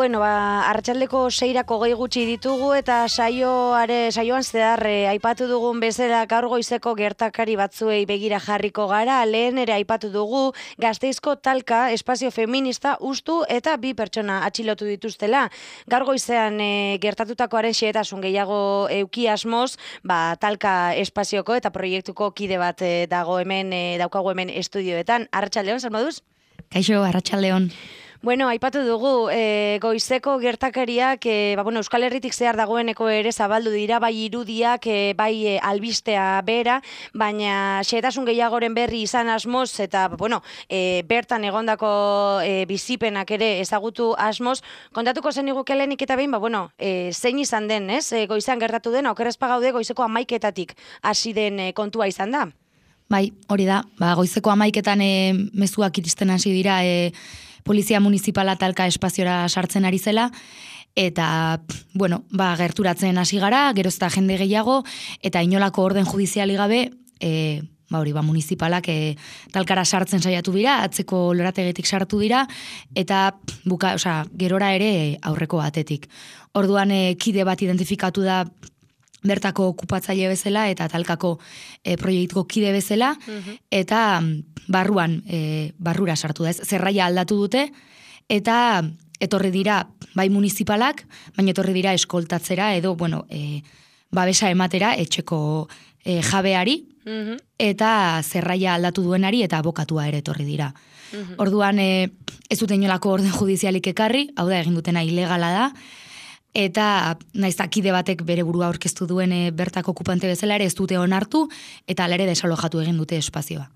Bueno, arratsaldeko 6 gehi gutxi ditugu eta saioan zehar aipatu dugun bezala gaur goizeko gertakari batzuei begira jarriko gara. Lehen ere aipatu dugu Gasteizko talka espazio feminista ustu eta 2 pertsona atxilotu dituztela. Gaur goizean gertatutakoaren xehetasun gehiago euki asmoz, talka espazioko eta proiektuko kide bat daukagu hemen estudioetan. Arratsaldeon, zer moduz? Kaixo, arratsaldeon. Bueno, aipatu dugu, goizeko gertakariak, Euskal Herritik zehar dagoeneko ere zabaldu dira, bai irudiak, bai albistea bera, baina xehetasun gehiagoren berri izan asmoz, eta, bertan egondako bizipenak ere ezagutu asmoz, kontatuko zen iguke lehenik eta behin, zein izan den, ez? Goizan gertatu den, okerrezpa gaude goizeko 11-etatik hasi den kontua izan da? Bai, hori da, goizeko 11-etan mezuak iristen hasi dira, Polizia Municipala talka espaziora sartzen ari zela, eta, gerturatzen hasi gara, gerozta jende gehiago, eta inolako orden judiziali gabe, municipalak talkara sartzen saiatu dira, atzeko lorategetik sartu dira, eta gerora ere aurreko batetik. Orduan, kide bat identifikatu da bertako okupatzaile bezala eta talkako proiektuko kide bezala, eta barrura sartu da. Zerraia aldatu dute, eta etorri dira bai municipalak, baina etorri dira eskoltatzera edo, babesa ematera etxeko jabeari, eta zerraia aldatu duenari eta abokatua ere etorri dira. Orduan, ez dute inolako orden judizialik ekarri, hau da egin dutena ilegala da, eta naiz kide batek bere burua aurkeztu duen bertako okupante bezala ere ez dute onartu, eta alere desalojatu egin dute espazioa.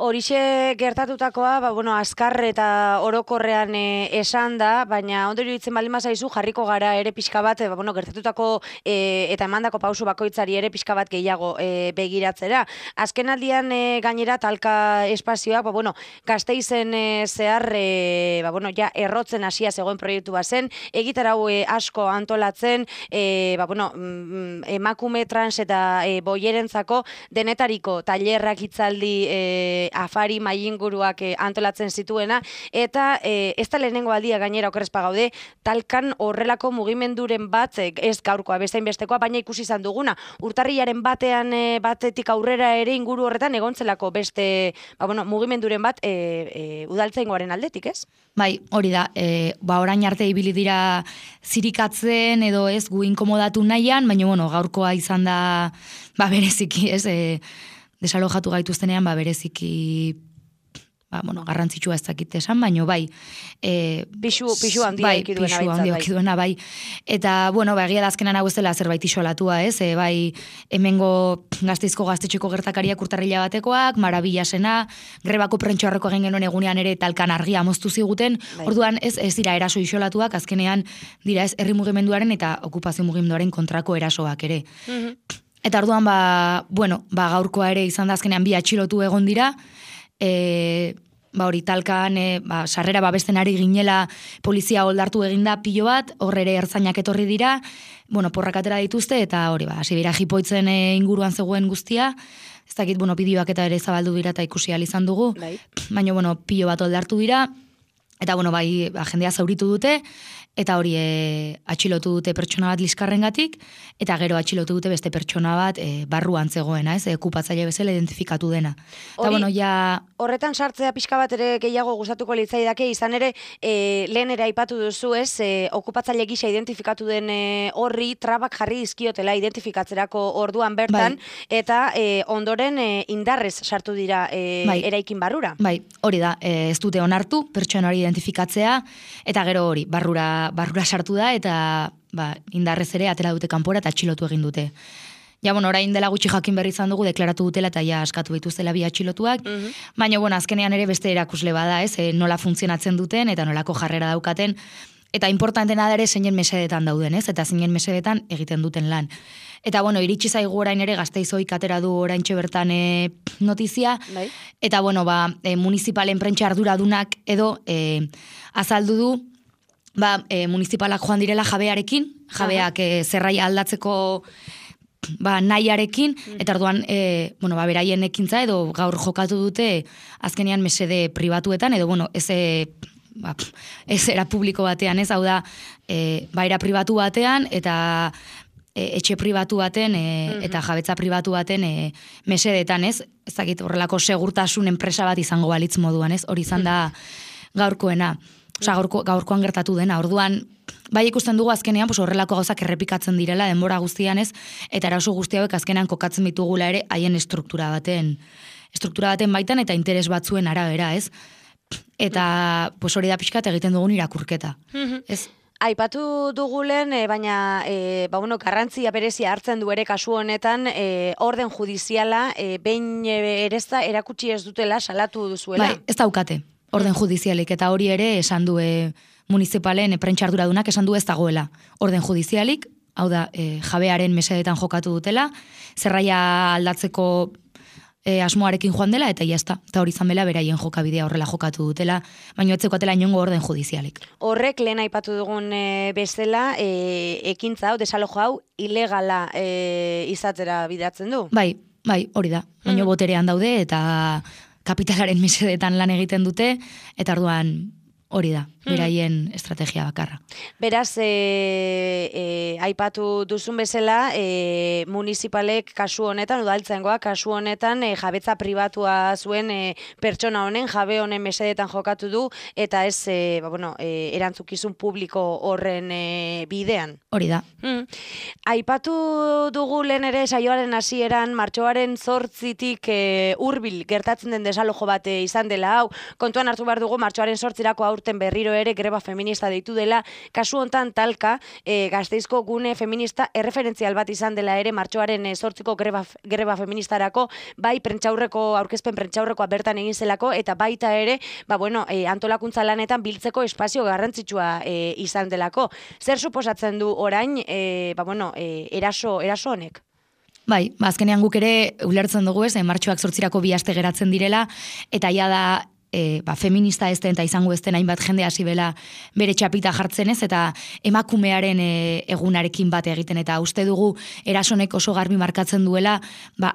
Horixe gertatutakoa, azkar eta orokorrean esan da, baina ondo iruditzen baldin bazaizu jarriko gara ere pixka bat, gertatutako eta emandako pausu bakoitzari ere pixka bat gehiago begiratzera. Azken aldian gainera talka espazioak, Gasteizen zehar, ja errotzen hasia zegoen proiektu bazen, egitarau asko antolatzen, emakume trans eta boierentzako denetariko tailerrak, hitzaldi, afari, mailinguruak antolatzen zituena, eta ez da lehenengo aldia gainera okerrezpa gaude, talkan horrelako mugimenduren bat, ez gaurkoa, bezain bestekoa, baina ikusi izan duguna. Urtarrilaren batetik aurrera ere inguru horretan egontzelako beste mugimenduren bat udaltzaingoaren aldetik, ez? Bai, hori da, orain arte ibili dira zirikatzen edo ez gu inkomodatu nahian, baina gaurkoa izan da bereziki, ez, desalojatu gaituztenean bereziki garrantzitsua ez dakit esan, baina bai. Pixu handia ekiduena, bai. Eta, egia da azkenan hau ez dela zerbait isolatua, ez? Hemengo Gasteizko gaztetxeko gertakariak urtarrila batekoak, marabillasena, grebako prentxoarreko egin genuen egunean ere talkan argia moztu ziguten, orduan ez dira eraso isolatuak, azkenean dira ez herri mugimenduaren eta okupazio mugimenduaren kontrako erasoak ere. Eta orduan, gaurkoa ere izan da azkenean 2 atxilotu egon dira, hori talkan sarrera babesten ari ginela polizia oldartu eginda pilo bat, horre ere ertzainak etorri dira, porrak atera dituzte, eta hori hasi dira jipoitzen inguruan zegoen guztia, ez dakit, bideoak eta ere zabaldu dira eta ikusi ahal izan dugu, baina pilo bat oldartu dira, eta jendea zauritu dute, eta hori atxilotu dute pertsona bat liskarrengatik, eta gero atxilotu dute beste pertsona bat barruan zegoena, ez, okupatzaile bezala identifikatu dena. Horretan sartzea pixka bat ere gehiago gustatuko litzaidake, izan ere, lehen ere aipatu duzu, ez, okupatzaile gisa identifikatu den horri trabak jarri dizkiotela identifikatzerako orduan bertan, eta ondoren indarrez sartu dira eraikin barrura. Bai, hori da, ez dute onartu, pertsona hori identifikatzea, eta gero hori, barrura sartu da, eta indarrez ere atera dute kanpora eta atxilotu egin dute. Orain dela gutxi jakin berri izan dugu, deklaratu dutela eta askatu dituztela 2 atxilotuak, baina azkenean ere beste erakusle bada, ez, nola funtzionatzen duten eta nolako jarrera daukaten, eta importantena da ere zeinen mesedetan dauden, ez, eta zeinen mesedetan egiten duten lan. Eta, iritsi zaigu orain ere Gasteizoik atera du oraintxe bertan notizia, eta, municipalen prentsa arduradunak edo azaldu du, municipalak joan direla jabearekin, jabeak zerraia aldatzeko nahiarekin, eta orduan, beraien ekintza edo gaur jokatu dute azkenean mesede pribatuetan, edo, ez ez era publiko batean, ez, hau da, era pribatu batean, eta etxe pribatu baten eta jabetza pribatu baten mesedetan, ez? Ez dakit horrelako segurtasun enpresa bat izango balitz moduan, ez? Hori izan da gaurkoena. Osea, gaurkoan gertatu dena. Orduan, bai ikusten dugu azkenean, horrelako gauzak errepikatzen direla denbora guztian, ez? Eta eraso guzti hauek azkenean kokatzen ditugula ere haien struktura baten baitan eta interes batzuen arabera, ez? Eta hori da pixkat egiten dugun irakurketa. Ez? Aipatu dugulen, baina garrantzia berezia hartzen du ere kasu honetan, orden judiziala, behin erezta erakutsi ez dutela, salatu duzuela. Bai, ez daukate, orden judizialik, eta hori ere esan du municipalen prentxarduradunak esan du ez dagoela. Orden judizialik, hau da, jabearen mesedetan jokatu dutela, zerraia aldatzeko asmoarekin joan dela, eta jazta. Eta hori izan bela beraien jokabidea horrela jokatu dutela, baina etzeko atela inongo orden judizialik. Horrek, lehen aipatu dugun bezala, ekintza hau, desalojo hau, ilegala izatera bidatzen du? Bai, hori da. Baina boterean daude, eta kapitalaren mesedetan lan egiten dute, eta orduan hori da, beraien estrategia bakarra. Beraz, aipatu duzun bezala, municipalek kasu honetan, udaltzaingoak kasu honetan, jabetza pribatua zuen pertsona honen, jabe honen mesedetan jokatu du, eta ez, erantzukizun publiko horren bidean. Hori da. Aipatu dugu lehen ere saioaren hasieran martxoaren 8tik hurbil gertatzen den desalojo bat izan dela hau. Kontuan hartu behar dugu martxoaren 8irako aurten berriro ere greba feminista deitu dela. Kasu hontan talka Gasteizko gune feminista erreferentzial bat izan dela ere martxoaren 8ko greba feministarako, bai aurkezpen prentxaurrekoa bertan egin zelako, eta baita ere, antolakuntza lanetan biltzeko espazio garrantzitsua izan delako. Zer suposatzen du orain, eraso honek? Bai, azkenean guk ere ulertzen dugu ez, martxoak 8irako 2 aste geratzen direla, eta ja da feminista ez den eta izango ez den hainbat jende hasi bela bere txapita jartzen ez, eta emakumearen egunarekin bat egiten, eta uste dugu erasonek oso garbi markatzen duela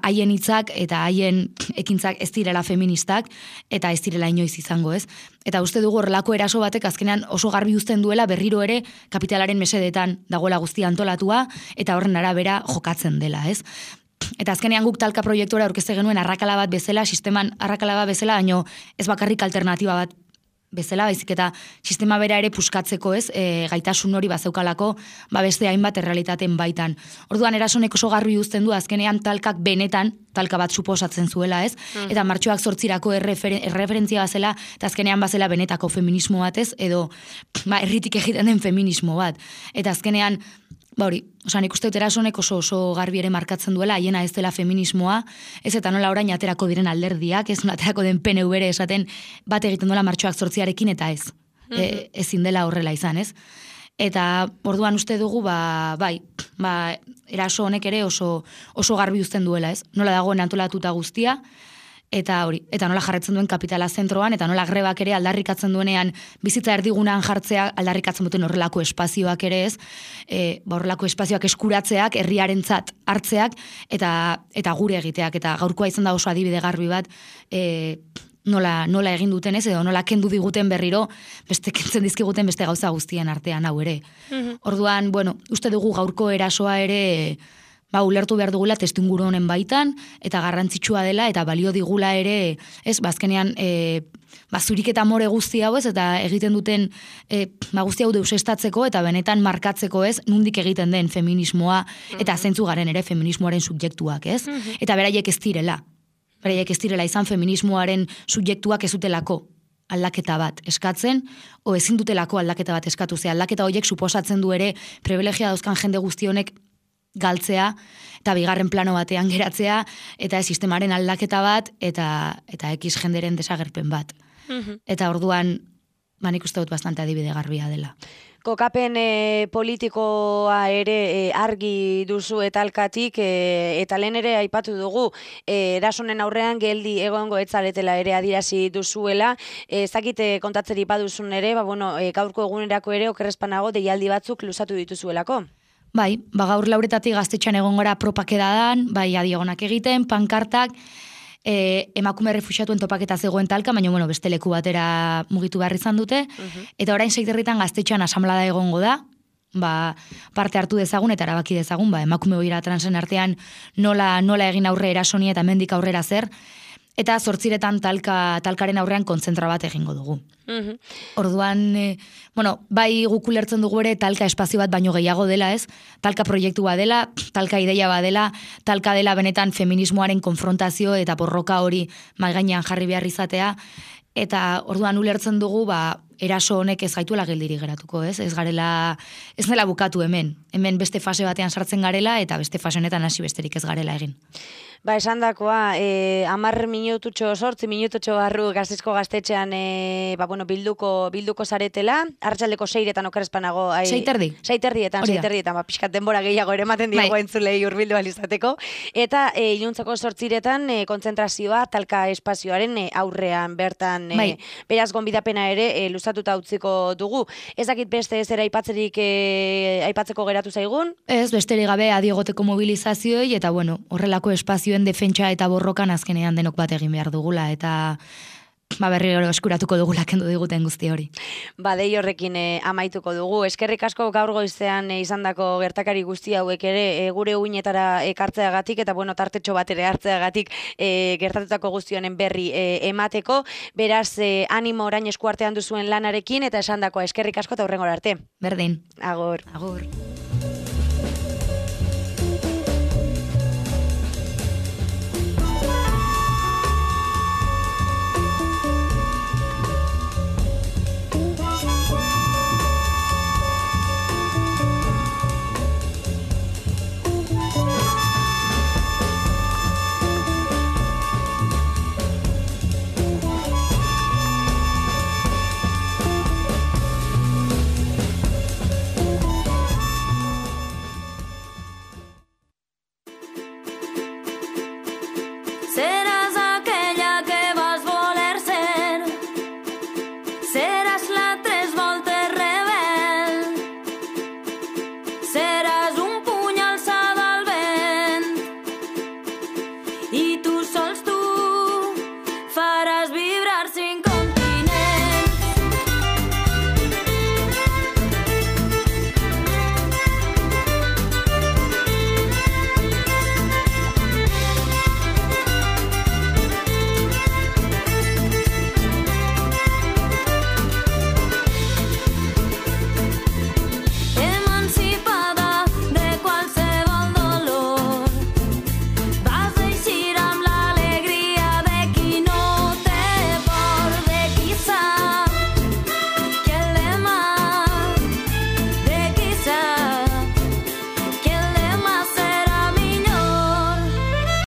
haien hitzak eta haien ekintzak ez direla feministak, eta ez direla inoiz izango ez. Eta uste dugu horrelako eraso batek azkenean oso garbi uzten duela berriro ere kapitalaren mesedetan dagoela guztia antolatua, eta horren arabera jokatzen dela, ez? Eta azkenean guk talka proiektura aurkezte genuen arrakala bat bezala, sisteman arrakala bat bezala, baino ez bakarrik alternatiba bat bezala, baizik eta sistema bera ere puskatzeko ez, gaitasun hori bazeukalako, beste hainbat errealitaten baitan. Orduan erasonek oso garbi uzten du azkenean talkak benetan, talka bat suposatzen zuela ez, eta martxoak 8irako erreferentzia bazela, eta azkenean bazela benetako feminismo bat ez, edo herritik egiten den feminismo bat. Eta azkenean, nik uste dut erasonek oso garbi ere markatzen duela, haiena ez dela feminismoa, ez eta nola orain aterako diren alderdiak, ez nola aterako den PNV ere esaten bat egiten duela martxoak 8arekin, eta ez. Ezin dela horrela izan, ez? Eta orduan uste dugu, eraso honek ere oso garbi uzten duela, ez? Nola dagoen antolatuta guztia, eta nola jarretzen duen kapitala zentroan, eta nola grebak ere aldarrikatzen duenean bizitza erdigunan jartzea, aldarrikatzen duten horrelako espazioak ere ez, horrelako espazioak eskuratzeak, herriarentzat hartzeak, eta gure egiteak, eta gaurkoa izan da oso adibide garbi bat, nola egin duten ez, edo nola kendu diguten berriro, kentzen dizkiguten beste gauza guztien artean hau ere. Orduan, uste dugu gaurko erasoa ere, ulertu behar dugula testuinguru honen baitan, eta garrantzitsua dela, eta balio digula ere, ez, azkenean, zurik eta more guzti hau ez, eta egiten duten guzti hau deusestatzeko, eta benetan markatzeko ez, nundik egiten den feminismoa, eta zentzu garen ere feminismoaren subjektuak, ez? Eta beraiek ez direla izan feminismoaren subjektuak ez dutelako aldaketa bat eskatzen, o ezin dutelako aldaketa bat eskatu, ze aldaketa horiek suposatzen du ere privilegia dauzkan jende guztionek galtzea, eta bigarren plano batean geratzea, eta sistemaren aldaketa bat, eta X jenderen desagerpen bat. Eta orduan, nik uste dut bastante adibide garbia dela. Kokapen politikoa ere argi duzu etalkatik, eta lehen ere aipatu dugu, erasonen aurrean geldi egongo etzaretela ere adierazi duzuela, ezakite kontatzeri baduzun ere, gaurko egunerako ere okerrezpanago deialdi batzuk luzatu dituzuelako. Bai, gaur lauretatik gaztetxean egon gora propak edadan, adiegonak egiten, pankartak, emakume refuxiatuen topaketa zegoen talka, baina bueno, beste leku batera mugitu behar izan dute, eta orain Seiterritan gaztetxean asamblada egongo da, parte hartu dezagun eta erabaki dezagun, emakume oira transen artean nola egin aurre erasoni eta mendik aurrera zer, eta 8 talkaren aurrean kontzentra bat egingo dugu. Orduan, bai guk ulertzen dugu ere talka espazio bat baino gehiago dela, ez? Talka proiektua dela, talka ideia badela, talka dela benetan feminismoaren konfrontazio eta borroka hori mahai gainean jarri behar izatea, eta orduan ulertzen dugu, eraso honek ez gaituela geldirik geratuko, ez? Ez dela bukatu hemen beste fase batean sartzen garela, eta beste fase honetan hasi besterik ez garela egin. Esan dakoa, 10 minututxo, 8 minututxo barru Gasteizko gaztetxean bilduko zaretela, arratsaldeko 6etan okerrezpanago. 6:30, pixkat denbora gehiago ere ematen diago entzulei hurbildu alizateko. Eta iluntzeko 8etan kontzentrazioa talka espazioaren aurrean bertan, beraz gonbidapena ere luzatuta utziko dugu. Ez dakit beste ez ere aipatzeko geratu zaigun? Ez, besterik gabe adiegoteko mobilizazioei, eta horrelako espazioen defentsa eta borrokan azkenean denok bat egin behar dugula, eta berri eskuratuko dugula kendu diguten guzti hori. Dei horrekin amaituko dugu. Eskerrik asko gaur goizean izandako gertakari guzti hauek ere gure uinetara ekartzeagatik, eta tartetxo bat ere hartzeagatik gertatutako guzti honen berri emateko. Beraz, animo orain eskuartean duzuen lanarekin, eta esandakoa eskerrik asko eta hurrengora arte. Berdin. Agur. Agur.